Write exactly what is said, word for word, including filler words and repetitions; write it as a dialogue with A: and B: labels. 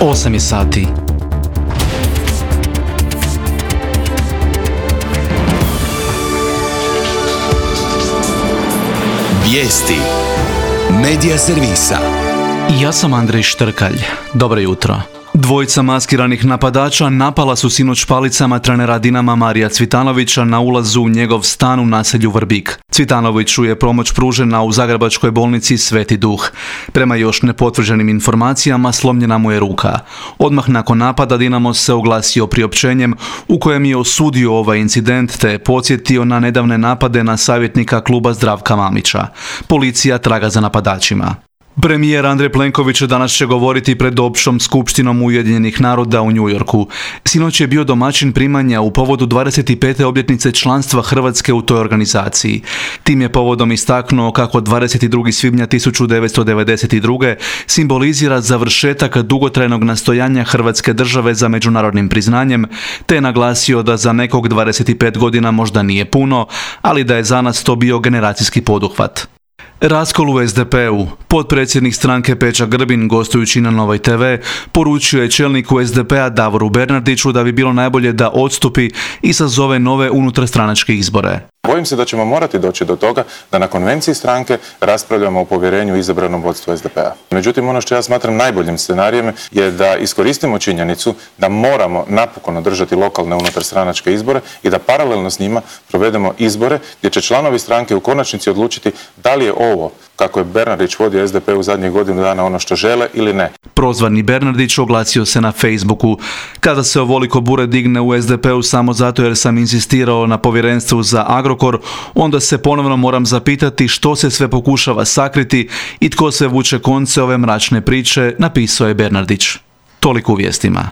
A: osam je sati.
B: Vijesti Medija servisa.
A: Ja sam Andrej Štrkalj. Dobro jutro. Dvojica maskiranih napadača napala su sinoć palicama trenera Dinama Marija Cvitanovića na ulazu u njegov stan u naselju Vrbik. Cvitanoviću je pomoć pružena u zagrebačkoj bolnici Sveti Duh. Prema još nepotvrđenim informacijama slomljena mu je ruka. Odmah nakon napada Dinamo se oglasio priopćenjem u kojem je osudio ovaj incident te je podsjetio na nedavne napade na savjetnika kluba Zdravka Mamića. Policija traga za napadačima. Premijer Andrej Plenković danas će govoriti pred općom skupštinom Ujedinjenih naroda u New Yorku. Sinoć je bio domaćin primanja u povodu dvadeset pete obljetnice članstva Hrvatske u toj organizaciji. Tim je povodom istaknuo kako dvadeset drugo svibnja tisuću devetsto devedeset druge simbolizira završetak dugotrajnog nastojanja Hrvatske države za međunarodnim priznanjem, te je naglasio da za nekog dvadeset pet godina možda nije puno, ali da je za nas to bio generacijski poduhvat. Raskol u es de pe u. Potpredsjednik stranke Peđa Grbin, gostujući na Novoj te ve, poručio je čelniku es de pe a Davoru Bernardiću da bi bilo najbolje da odstupi i sazove nove unutarstranačke izbore.
C: Bojim se da ćemo morati doći do toga da na konvenciji stranke raspravljamo o povjerenju izabranom vodstvu es de pe a. Međutim, ono što ja smatram najboljim scenarijem je da iskoristimo činjenicu da moramo napokon održati lokalne unutarstranačke izbore i da paralelno s njima provedemo izbore gdje će članovi stranke u konačnici odlučiti da li je ovo, kako je Bernardić vodio es de pe u zadnjih godinu dana, ono što žele ili ne.
A: Prozvani Bernardić oglasio se na Facebooku. Kada se ovoliko bure digne u es de pe u samo zato jer sam inzistirao na povjerenstvu za Agrokor, onda se ponovno moram zapitati što se sve pokušava sakriti i tko sve vuče konce ove mračne priče, napisao je Bernardić. Toliko u vijestima.